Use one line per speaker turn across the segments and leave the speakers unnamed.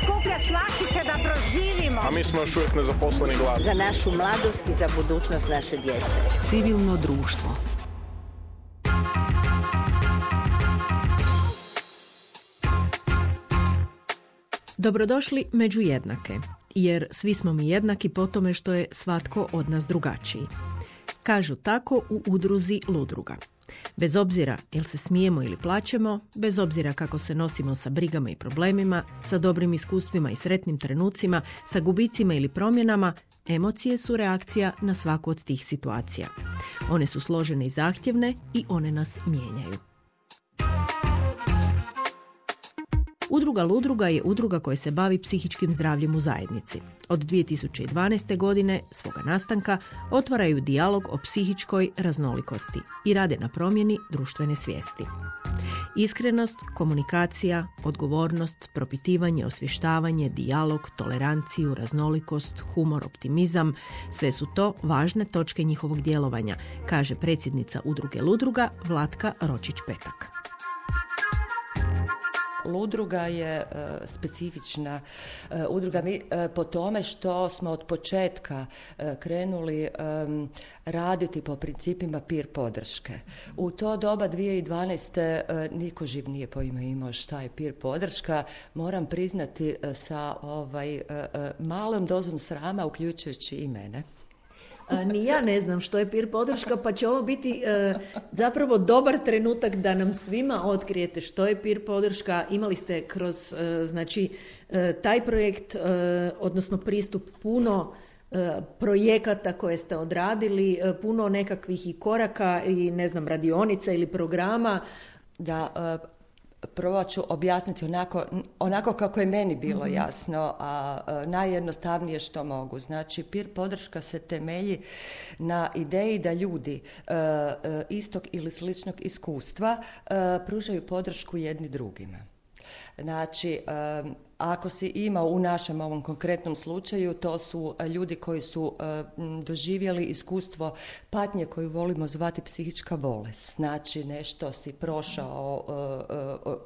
skuplja flašice da proživimo.
A mi smo još uvijek nezaposleni gladni.
Za našu mladost i za budućnost naše djece.
Civilno društvo. Dobrodošli među jednake, jer svi smo mi jednaki po tome što je svatko od nas drugačiji. Kažu tako u udruzi Ludruga. Bez obzira jel se smijemo ili plačemo, bez obzira kako se nosimo sa brigama i problemima, sa dobrim iskustvima i sretnim trenucima, sa gubicima ili promjenama, emocije su reakcija na svaku od tih situacija. One su složene i zahtjevne i one nas mijenjaju. Udruga Ludruga je udruga koja se bavi psihičkim zdravljem u zajednici. Od 2012. godine, svoga nastanka, otvaraju dijalog o psihičkoj raznolikosti i rade na promjeni društvene svijesti. Iskrenost, komunikacija, odgovornost, propitivanje, osvještavanje, dijalog, toleranciju, raznolikost, humor, optimizam, sve su to važne točke njihovog djelovanja, kaže predsjednica udruge Ludruga Vlatka Ročić-Petak.
Ludruga je specifična udruga po tome što smo od početka krenuli raditi po principima peer podrške. U to doba 2012. niko živ nije imao šta je peer podrška. Moram priznati sa malom dozom srama, uključujući i mene.
Ni ja ne znam što je peer podrška, pa će ovo biti zapravo dobar trenutak da nam svima otkrijete što je peer podrška. Imali ste kroz taj projekt, odnosno pristup puno projekata koje ste odradili, puno nekakvih i koraka i radionica ili programa.
Da, prvo ću objasniti onako kako je meni bilo jasno, a najjednostavnije što mogu. Znači, peer podrška se temelji na ideji da ljudi istog ili sličnog iskustva pružaju podršku jedni drugima. Znači, ako si imao u našem ovom konkretnom slučaju, to su ljudi koji su doživjeli iskustvo patnje koju volimo zvati psihička bolest. Znači, nešto si prošao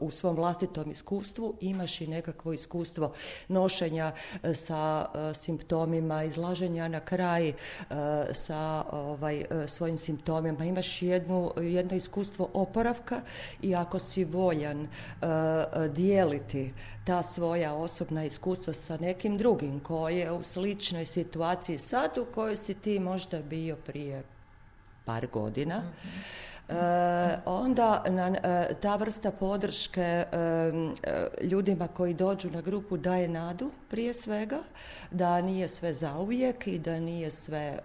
u svom vlastitom iskustvu, imaš i nekakvo iskustvo nošenja sa simptomima, izlaženja na kraj sa svojim simptomima. Imaš jedno iskustvo oporavka i ako si voljan dijeliti ta svoja osobna iskustva sa nekim drugim koji je u sličnoj situaciji sad u kojoj si ti možda bio prije par godina, onda ta vrsta podrške ljudima koji dođu na grupu daje nadu prije svega, da nije sve zauvijek i da nije sve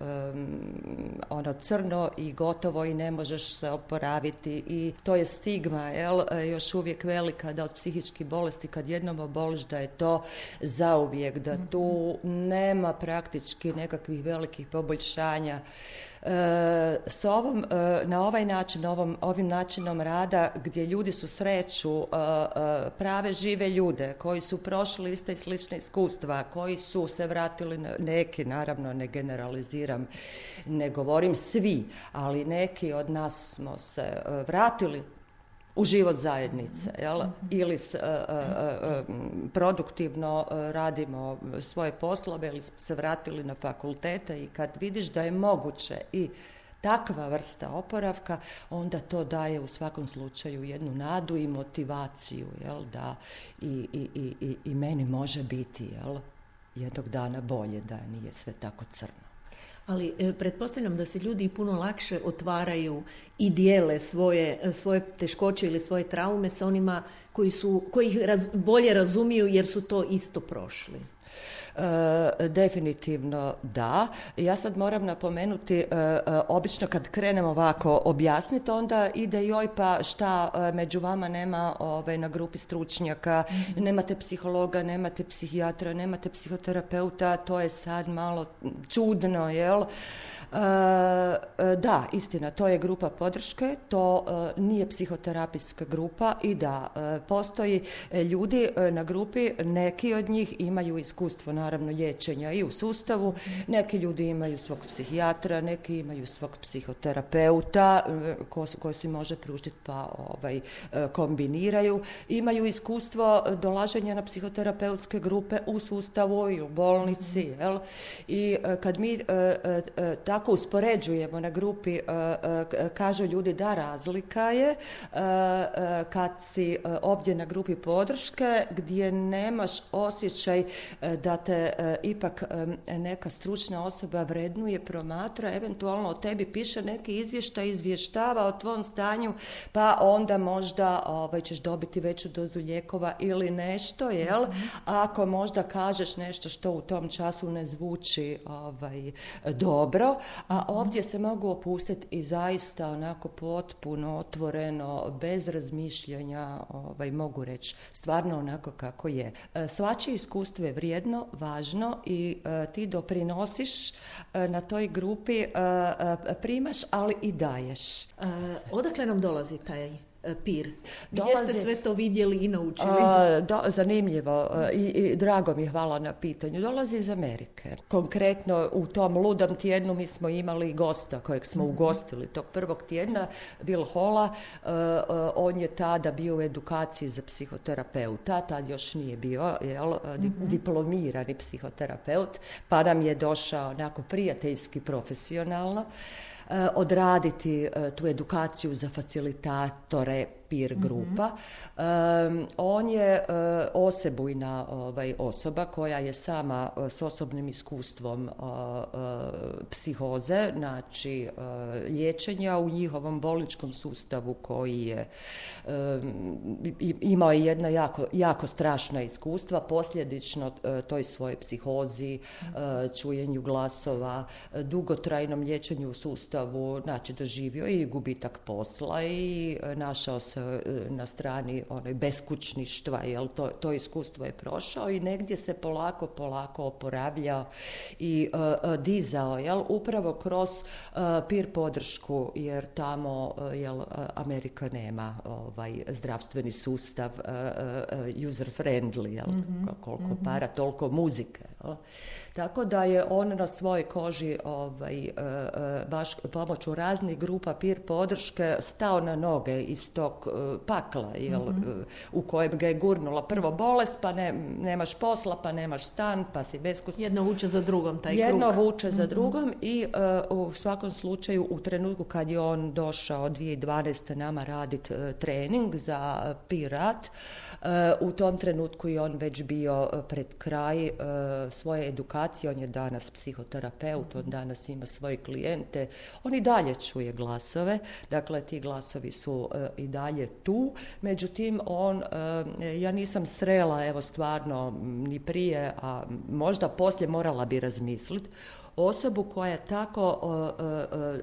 crno i gotovo i ne možeš se oporaviti i to je stigma, još uvijek velika da od psihičkih bolesti kad jednom oboliš da je to zauvijek, da tu nema praktički nekakvih velikih poboljšanja. Na ovaj način, ovim načinom rada gdje ljudi susreću prave žive ljude koji su prošli ista i slična iskustva, koji su se vratili, neki naravno ne generaliziram, ne govorim svi, ali neki od nas smo se vratili u život zajednice, ili produktivno radimo svoje poslove ili se vratili na fakultete i kad vidiš da je moguće i takva vrsta oporavka, onda to daje u svakom slučaju jednu nadu i motivaciju, da i meni može biti jednog dana bolje, da nije sve tako crno.
Ali pretpostavljam da se ljudi puno lakše otvaraju i dijele svoje teškoće ili svoje traume sa onima koji ih bolje razumiju jer su to isto prošli.
Definitivno da. Ja sad moram napomenuti, obično kad krenem ovako objasniti, onda ide joj pa šta među vama nema na grupi stručnjaka, nemate psihologa, nemate psihijatra, nemate psihoterapeuta, to je sad malo čudno, jel? Da, istina, to je grupa podrške, to nije psihoterapijska grupa i da, postoji ljudi na grupi, neki od njih imaju iskustvo naravno liječenja i u sustavu. Neki ljudi imaju svog psihijatra, neki imaju svog psihoterapeuta koji si može pružiti pa kombiniraju. Imaju iskustvo dolaženja na psihoterapeutske grupe u sustavu i u bolnici. Jel? I kad mi tako uspoređujemo na grupi, kažu ljudi da razlika je kad si ovdje na grupi podrške gdje nemaš osjećaj da te ipak neka stručna osoba vrednuje, promatra, eventualno o tebi piše neki izvještaj, izvještava o tvom stanju, pa onda možda ćeš dobiti veću dozu lijekova ili nešto, jel? Ako možda kažeš nešto što u tom času ne zvuči dobro, a ovdje se mogu opustiti i zaista onako potpuno otvoreno, bez razmišljanja, mogu reći stvarno onako kako je. Svačije iskustvo je vrijedno, važno i ti doprinosiš na toj grupi, primaš, ali i daješ.
Odakle nam dolazi taj PIR? Gdje ste sve to vidjeli i naučili?
Zanimljivo i drago mi je, hvala na pitanju. Dolazi iz Amerike. Konkretno u tom ludom tjednu mi smo imali gosta kojeg smo ugostili tog prvog tjedna, Will Halla. On je tada bio u edukaciji za psihoterapeuta, tad još nije bio diplomirani psihoterapeut, pa nam je došao onako prijateljski, profesionalno odraditi tu edukaciju za facilitatore PIR grupa. On je osebujna osoba koja je sama s osobnim iskustvom psihoze, znači liječenja u njihovom bolničkom sustavu koji je imao jedna jako strašna iskustva, posljedično toj svojoj psihozi, čujenju glasova, dugotrajnom liječenju u sustavu, znači doživio i gubitak posla i našao se na strani beskućništva, jel, to iskustvo je prošao i negdje se polako oporavljao i dizao, jel, upravo kroz PIR podršku, jer tamo, jel, Amerika nema zdravstveni sustav user friendly, jel, koliko para, toliko muzike, jel. Tako da je on na svojoj koži baš pomoću raznih grupa PIR podrške stao na noge iz tog pakla, jel, u kojem ga je gurnula prvo bolest, pa nemaš posla, pa nemaš stan, pa si beskućan.
Jedno vuče za drugom, taj krug.
Jedno vuče za drugom i u svakom slučaju u trenutku kad je on došao 2012. nama raditi trening za PIR rad, u tom trenutku je on već bio pred kraj svoje edukacije, on je danas psihoterapeut, on danas ima svoje klijente, on i dalje čuje glasove, dakle ti glasovi su i dalje tu, međutim ja nisam srela, evo stvarno ni prije, a možda poslije morala bi razmisliti, osobu koja je tako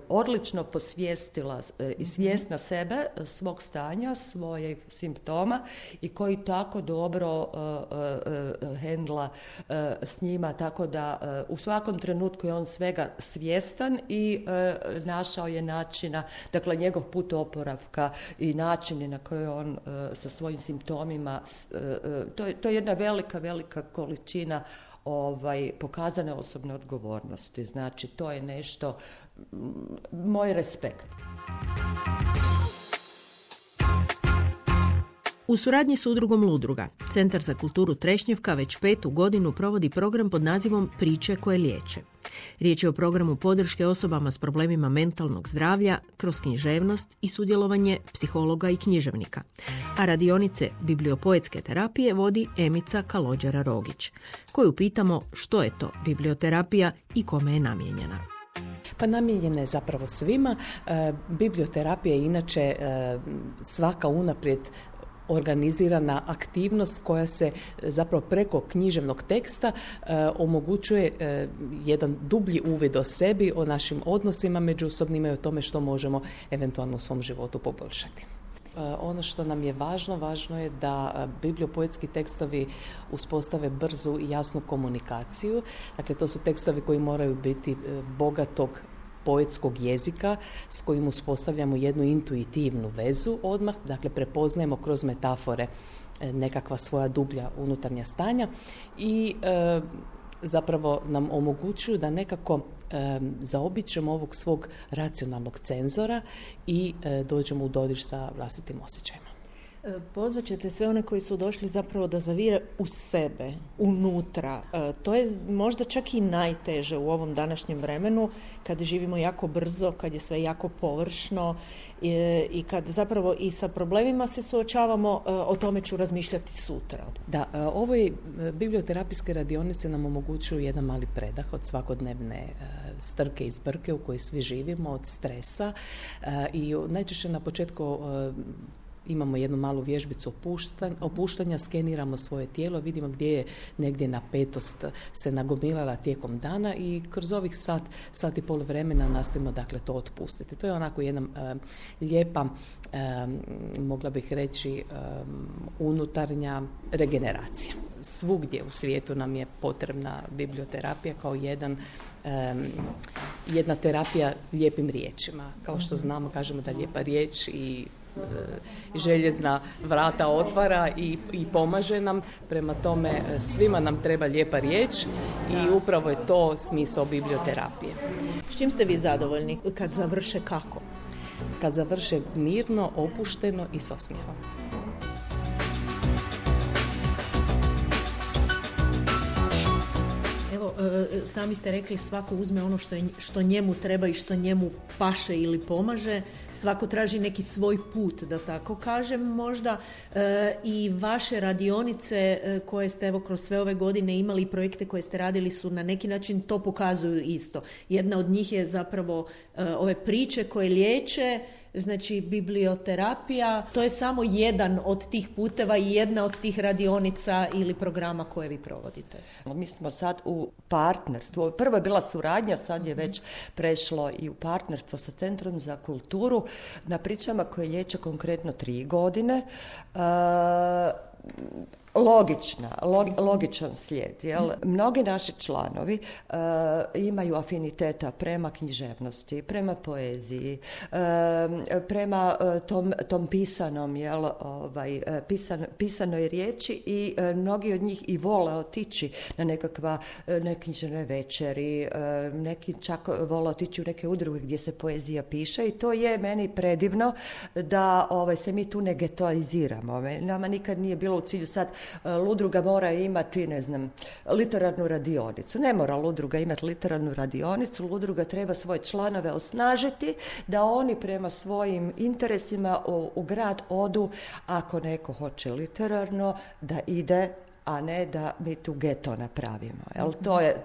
odlično posvijestila i svjesna sebe, svog stanja, svojih simptoma i koji tako dobro hendla s njima, tako da u svakom trenutku je on svega svjestan i našao je načina, dakle njegov put oporavka i načini na koji on sa svojim simptomima, to je jedna velika količina pokazane osobne odgovornosti. Znači, to je nešto, moj respekt.
U suradnji s udrugom Ludruga, Centar za kulturu Trešnjevka već 5. godinu provodi program pod nazivom Priče koje liječe. Riječ je o programu podrške osobama s problemima mentalnog zdravlja kroz književnost i sudjelovanje psihologa i književnika. A radionice bibliopoetske terapije vodi Emica Kalođera-Rogić, koju pitamo što je to biblioterapija i kome je namijenjena.
Pa namijenjena je zapravo svima. Biblioterapija je inače svaka unaprijed organizirana aktivnost koja se zapravo preko književnog teksta omogućuje jedan dublji uvid o sebi, o našim odnosima međusobnima i o tome što možemo eventualno u svom životu poboljšati. Ono što nam je važno je da bibliopoetski tekstovi uspostave brzu i jasnu komunikaciju. Dakle, to su tekstovi koji moraju biti bogatog poetskog jezika s kojim uspostavljamo jednu intuitivnu vezu odmah, dakle prepoznajemo kroz metafore nekakva svoja dublja unutarnja stanja i zapravo nam omogućuju da nekako zaobiđemo ovog svog racionalnog cenzora i dođemo u dodir sa vlastitim osjećajima.
Pozvat ćete sve one koji su došli zapravo da zavire u sebe, unutra. To je možda čak i najteže u ovom današnjem vremenu, kad živimo jako brzo, kad je sve jako površno i kad zapravo i sa problemima se suočavamo. O tome ću razmišljati sutra.
Da, ovoj biblioterapijske radionice nam omogućuju jedan mali predah od svakodnevne strke i zbrke u kojoj svi živimo, od stresa i najčešće na početku imamo jednu malu vježbicu opuštanja, skeniramo svoje tijelo, vidimo gdje je negdje napetost se nagomilala tijekom dana i kroz ovih sat i pol vremena nastojimo dakle to otpustiti. To je onako jedna lijepa, mogla bih reći, unutarnja regeneracija. Svugdje u svijetu nam je potrebna biblioterapija kao jedna terapija lijepim riječima. Kao što znamo, kažemo da lijepa riječ i željezna vrata otvara i pomaže nam. Prema tome, svima nam treba lijepa riječ i upravo je to smisao biblioterapije.
S čim ste vi zadovoljni kad završe kako?
Kad završe mirno, opušteno i s osmijehom.
Evo, sami ste rekli svako uzme ono što njemu treba i što njemu paše ili pomaže. Svako traži neki svoj put, da tako kažem možda. I vaše radionice koje ste evo kroz sve ove godine imali, projekte koje ste radili su na neki način to pokazuju isto. Jedna od njih je zapravo ove priče koje liječe, znači biblioterapija. To je samo jedan od tih puteva i jedna od tih radionica ili programa koje vi provodite.
Mi smo sad u partnerstvu. Prvo je bila suradnja, sad je već prešlo i u partnerstvo sa Centrom za kulturu na pričama koje liječe konkretno 3 godine. Logičan slijed. Jel? Mnogi naši članovi imaju afiniteta prema književnosti, prema poeziji, prema tom pisanom, pisanoj riječi i mnogi od njih i vole otići na neke književne večeri, neki čak vole otići u neke udruge gdje se poezija piše i to je meni predivno da se mi tu ne getoiziramo. Nama nikad nije bilo u cilju sad udruga mora imati, literarnu radionicu. Ne mora udruga imati literarnu radionicu, udruga treba svoje članove osnažiti da oni prema svojim interesima u grad odu, ako neko hoće literarno, da ide, a ne da mi tu geto napravimo. Jel? To je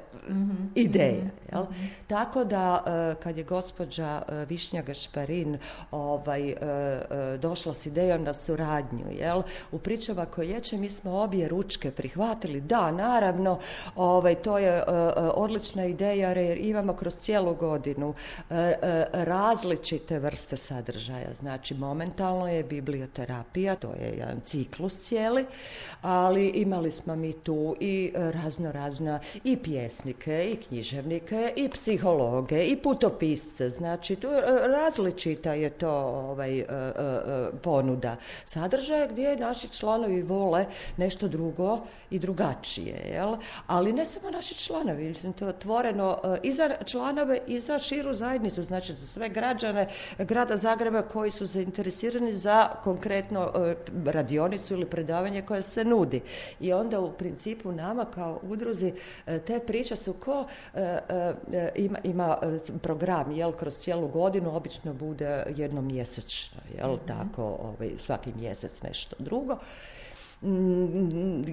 ideja. Jel? Tako da kad je gospođa Višnja Gašparin došla s idejom na suradnju, jel? U pričama koje liječe mi smo obje ručke prihvatili. Da, naravno, to je odlična ideja jer imamo kroz cijelu godinu različite vrste sadržaja. Znači, momentalno je biblioterapija, to je jedan ciklus cijeli, ali imali smo mi tu i razna i pjesnike, i književnike, i psihologe, i putopisce. Znači, tu različita je to ponuda sadržaja gdje naši članovi vole nešto drugo i drugačije. Jel? Ali ne samo naši članovi, to je otvoreno i za članove i za širu zajednicu, znači za sve građane grada Zagreba koji su zainteresirani za konkretno radionicu ili predavanje koje se nudi. I onda u principu nama kao udruzi te priče su ima program, jel, kroz cijelu godinu, obično bude jednomjesečno, jel, tako, svaki mjesec nešto drugo.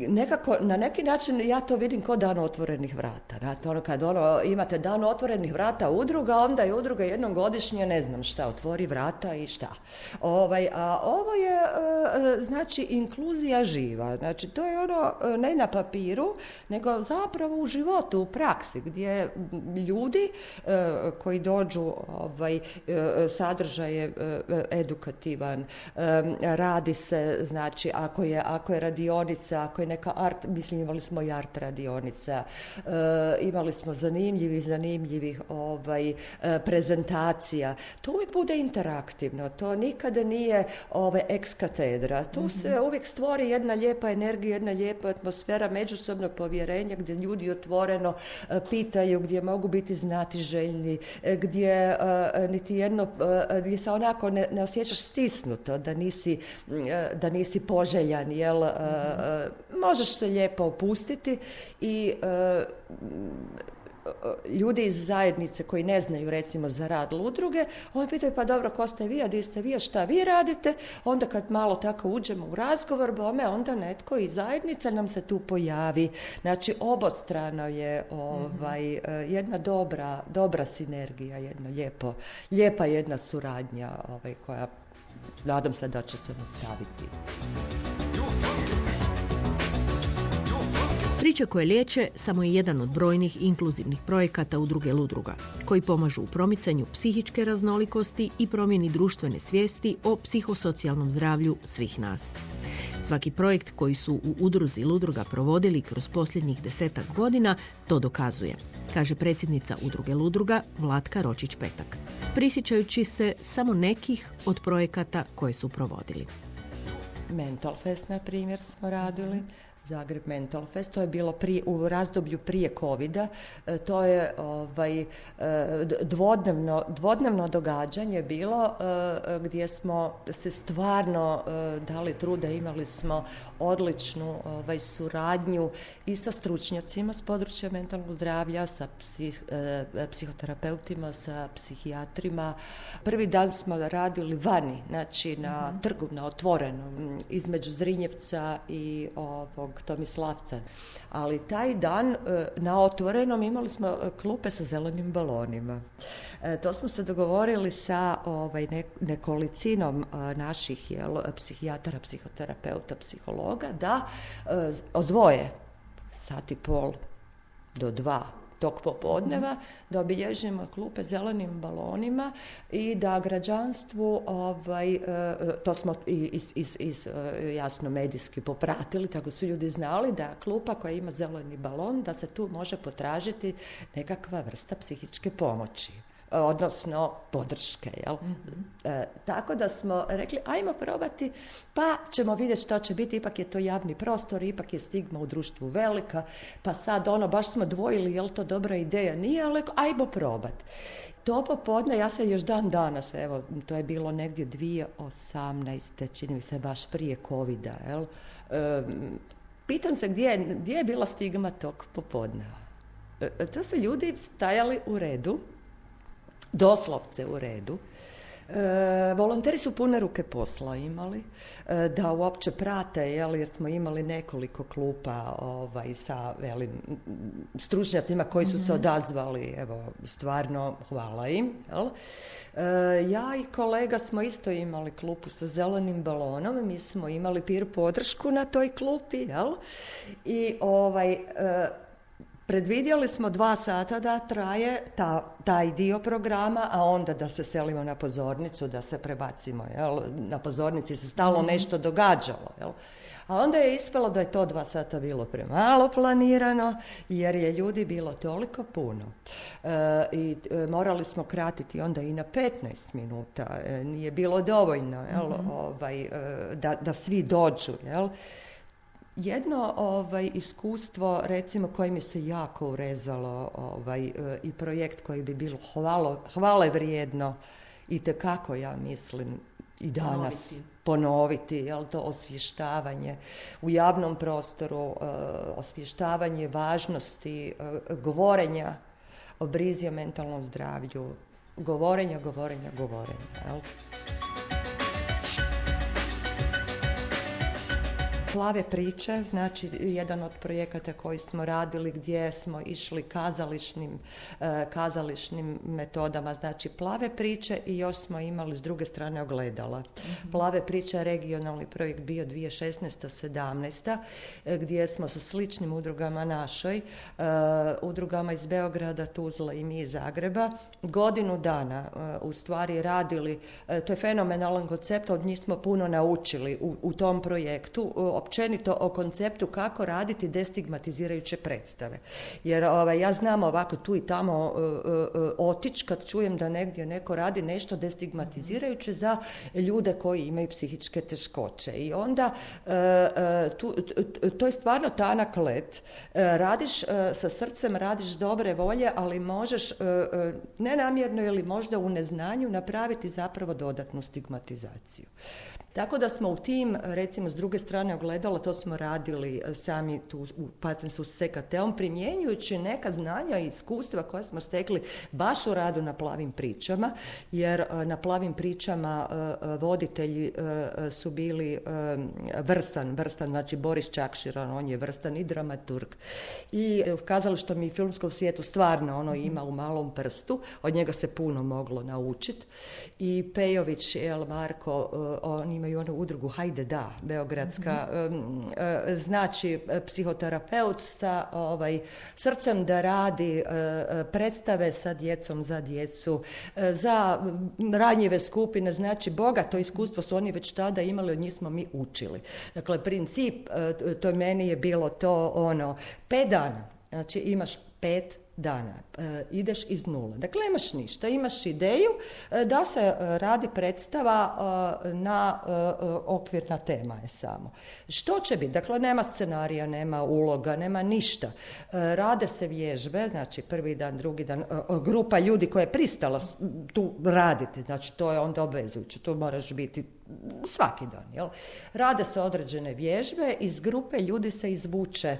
Nekako, na neki način ja to vidim kao dan otvorenih vrata. Znate, kad imate dan otvorenih vrata udruga, onda je udruga jednom godišnje, ne znam šta, otvori vrata i šta. A ovo je, znači, inkluzija živa. Znači, to je ne na papiru, nego zapravo u životu, u praksi, gdje ljudi koji dođu, sadržaj je edukativan, radi se, znači, ako je ako je radionica, ako je neka art, mislim imali smo i art radionica, imali smo zanimljivih prezentacija. To uvijek bude interaktivno, to nikada nije ex katedra. Tu se uvijek stvori jedna lijepa energija, jedna lijepa atmosfera međusobnog povjerenja gdje ljudi otvoreno pitaju, gdje mogu biti znatiželjni, gdje gdje se onako ne osjećaš stisnuto, da nisi poželjan, jel? Možeš se lijepo opustiti i ljudi iz zajednice koji ne znaju recimo za rad udruge, oni pitaju pa dobro, ko ste vi, a di ste vi, a šta vi radite? Onda kad malo tako uđemo u razgovor, bome, onda netko iz zajednice nam se tu pojavi. Znači obostrano je jedna dobra sinergija, jedna lijepa jedna suradnja koja nadam se da će se nastaviti.
Priče koje liječe samo je jedan od brojnih inkluzivnih projekata Udruge Ludruga, koji pomažu u promicanju psihičke raznolikosti i promjeni društvene svijesti o psihosocijalnom zdravlju svih nas. Svaki projekt koji su u Udruzi Ludruga provodili kroz posljednjih 10 godina to dokazuje, kaže predsjednica Udruge Ludruga Vlatka Ročić-Petak, prisjećajući se samo nekih od projekata koje su provodili.
Mental Fest, na primjer, smo radili. Zagreb Mental Fest, to je bilo u razdoblju prije covida, to je dvodnevno događanje bilo gdje smo se stvarno dali truda, imali smo odličnu suradnju i sa stručnjacima s područja mentalnog zdravlja, sa psihoterapeutima, sa psihijatrima. Prvi dan smo radili vani, znači na trgu, na otvorenom, između Zrinjevca i Tomislavca. Ali taj dan na otvorenom imali smo klupe sa zelenim balonima. To smo se dogovorili sa nekolicinom naših psihijatara, psihoterapeuta, psihologa da odvoje 1,5 do 2 tog popodneva, da obilježimo klupe zelenim balonima i da građanstvu, to smo jasno medijski popratili, tako su ljudi znali da klupa koja ima zeleni balon, da se tu može potražiti nekakva vrsta psihičke pomoći, odnosno podrške. Jel? Tako da smo rekli, ajmo probati, pa ćemo vidjeti što će biti, ipak je to javni prostor, ipak je stigma u društvu velika, pa sad baš smo dvojili, je li to dobra ideja, nije, ali ajmo probati. To popodne, ja se još dan danas, evo, to je bilo negdje 2018. čini mi se baš prije covida, jel? Pitam se gdje je bila stigma tog popodneva. To su ljudi stajali u redu, doslovce u redu. Volonteri su pune ruke posla imali da uopće prate, jer smo imali nekoliko klupa sa stručnjacima koji su se odazvali, evo, stvarno hvala im. Jel? Ja i kolega smo isto imali klupu sa zelenim balonom, mi smo imali peer podršku na toj klupi, jel? I predvidjeli smo 2 sata da traje taj dio programa, a onda da se selimo na pozornicu, da se prebacimo. Jel? Na pozornici se stalno nešto događalo. Jel? A onda je ispalo da je to 2 sata bilo premalo planirano, jer je ljudi bilo toliko puno. I morali smo kratiti onda i na 15 minuta. Nije bilo dovoljno, jel? Da svi dođu. Jel? Jedno iskustvo, recimo, koje mi se jako urezalo i projekt koji bi bilo hvale vrijedno i tekako, ja mislim, i danas ponoviti, jel, to osvještavanje u javnom prostoru, osvještavanje važnosti govorenja o brizi o mentalnom zdravlju, govorenja, jel? Plave priče, znači jedan od projekata koji smo radili gdje smo išli kazališnim metodama, znači plave priče i još smo imali s druge strane ogledala. Plave priče, regionalni projekt bio 2016-17, gdje smo sa sličnim udrugama našoj, udrugama iz Beograda, Tuzla i mi iz Zagreba, godinu dana u stvari radili, to je fenomenalan koncept, od njih smo puno naučili u tom projektu, općenito o konceptu kako raditi destigmatizirajuće predstave. Jer ja znam ovako tu i tamo otići kad čujem da negdje neko radi nešto destigmatizirajuće za ljude koji imaju psihičke teškoće. I onda to je stvarno tanak led. Radiš sa srcem, radiš dobre volje, ali možeš nenamjerno ili možda u neznanju napraviti zapravo dodatnu stigmatizaciju. Tako da smo u tim, recimo s druge strane ogledala, to smo radili sami tu u partnerstvu s CKT-om, primjenjujući neka znanja i iskustva koja smo stekli baš u radu na Plavim pričama, jer na Plavim pričama voditelji su bili vrstan, znači Boris Čakširan, on je vrstan i dramaturg. I u kazalištom i filmskom svijetu stvarno ima u malom prstu, od njega se puno moglo naučiti. I Pejović, Marko, on imaju onu udrugu Hajde da, beogradska, znači psihoterapeut sa srcem da radi predstave sa djecom, za djecu, za ranjive skupine, znači bogato iskustvo su oni već tada imali, od njih smo mi učili. Dakle, princip, to meni je bilo to 5 dana, znači imaš 5 dana, ideš iz nule. Dakle, imaš ništa, imaš ideju da se radi predstava na okvirna tema je samo. Što će biti? Dakle, nema scenarija, nema uloga, nema ništa. Rade se vježbe, znači prvi dan, drugi dan, grupa ljudi koja je pristala tu raditi, znači to je onda obvezujuće, tu moraš biti svaki dan. Jel? Rade se određene vježbe, iz grupe ljudi se izvuče,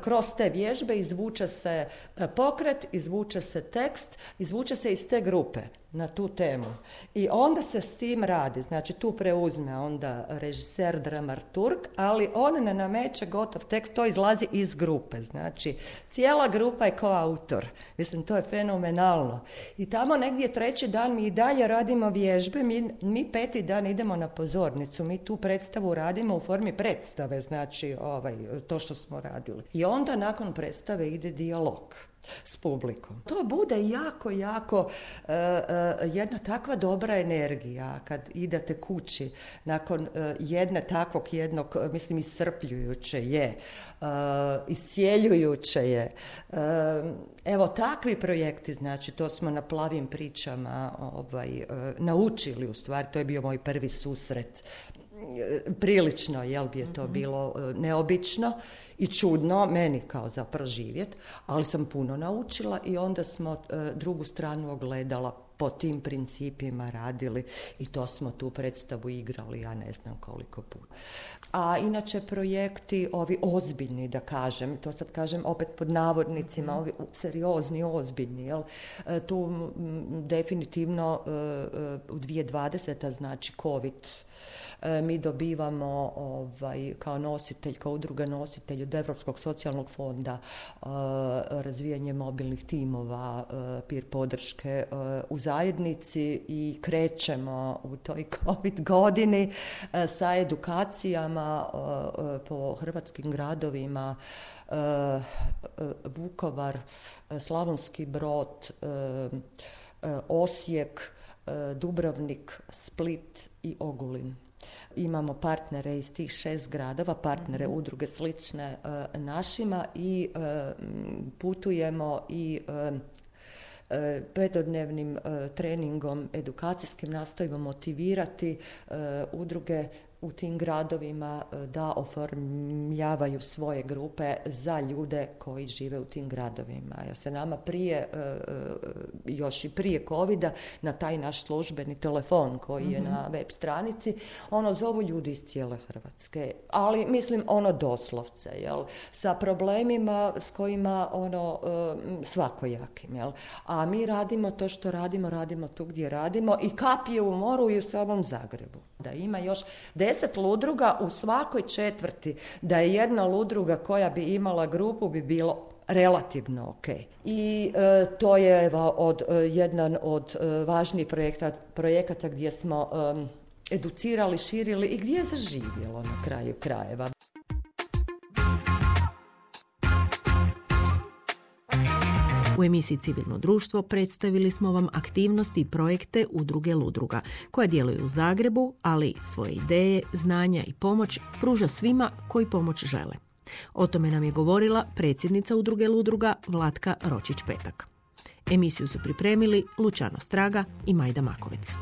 kroz te vježbe izvuče se pokret, izvuče se tekst, izvuče se iz te grupe na tu temu. I onda se s tim radi, znači tu preuzme onda režiser, dramaturg, ali on ne nameće gotov tekst, to izlazi iz grupe, znači cijela grupa je koautor. Mislim, to je fenomenalno. I tamo negdje 3. dan mi i dalje radimo vježbe, mi 5. dan idemo na pozornicu, mi tu predstavu radimo u formi predstave, znači to što smo radili. I onda nakon predstave ide dijalog s publikom. To bude jako jedna takva dobra energija kad idete kući nakon jednog, mislim, iscrpljujuće je, iscijeljujuće je. Evo, takvi projekti, znači, to smo na Plavim pričama naučili, u stvari, to je bio moj prvi susret. Prilično, bi je to bilo neobično i čudno meni kao za proživjet, ali sam puno naučila i onda smo drugu stranu ogledala, po tim principima radili i to smo tu predstavu igrali, ja ne znam koliko puta. A inače projekti, ovi ozbiljni, da kažem, to sad kažem opet pod navodnicima, ovi seriozni, ozbiljni, jel? Tu definitivno u 2020. znači COVID, mi dobivamo kao nositelj, kao udruga nositelj od Europskog socijalnog fonda razvijanje mobilnih timova, peer podrške u zajednici i krećemo u toj COVID godini sa edukacijama po hrvatskim gradovima, Vukovar, Slavonski Brod, Osijek, Dubrovnik, Split i Ogulin. Imamo partnere iz tih 6 gradova, partnere udruge slične našima i putujemo i 5-dnevnim treningom edukacijskim nastojimo motivirati udruge u tim gradovima da oformljavaju svoje grupe za ljude koji žive u tim gradovima. Ja se nama još i prije covida na taj naš službeni telefon koji je na web stranici, zovu ljudi iz cijele Hrvatske, ali mislim doslovce, jel? Sa problemima s kojima svakojakim, jel? A mi radimo to što radimo tu gdje radimo i kap je u moru i u samom Zagrebu. Da ima još 10 ludruga u svakoj četvrti, da je jedna ludruga koja bi imala grupu bi bilo relativno ok. I to je jedan od važnijih projekata gdje smo educirali, širili i gdje je zaživjelo na kraju krajeva.
U emisiji Civilno društvo predstavili smo vam aktivnosti i projekte Udruge Ludruga, koja djeluju u Zagrebu, ali svoje ideje, znanja i pomoć pruža svima koji pomoć žele. O tome nam je govorila predsjednica Udruge Ludruga Vlatka Ročić-Petak. Emisiju su pripremili Lučano Straga i Majda Makovec.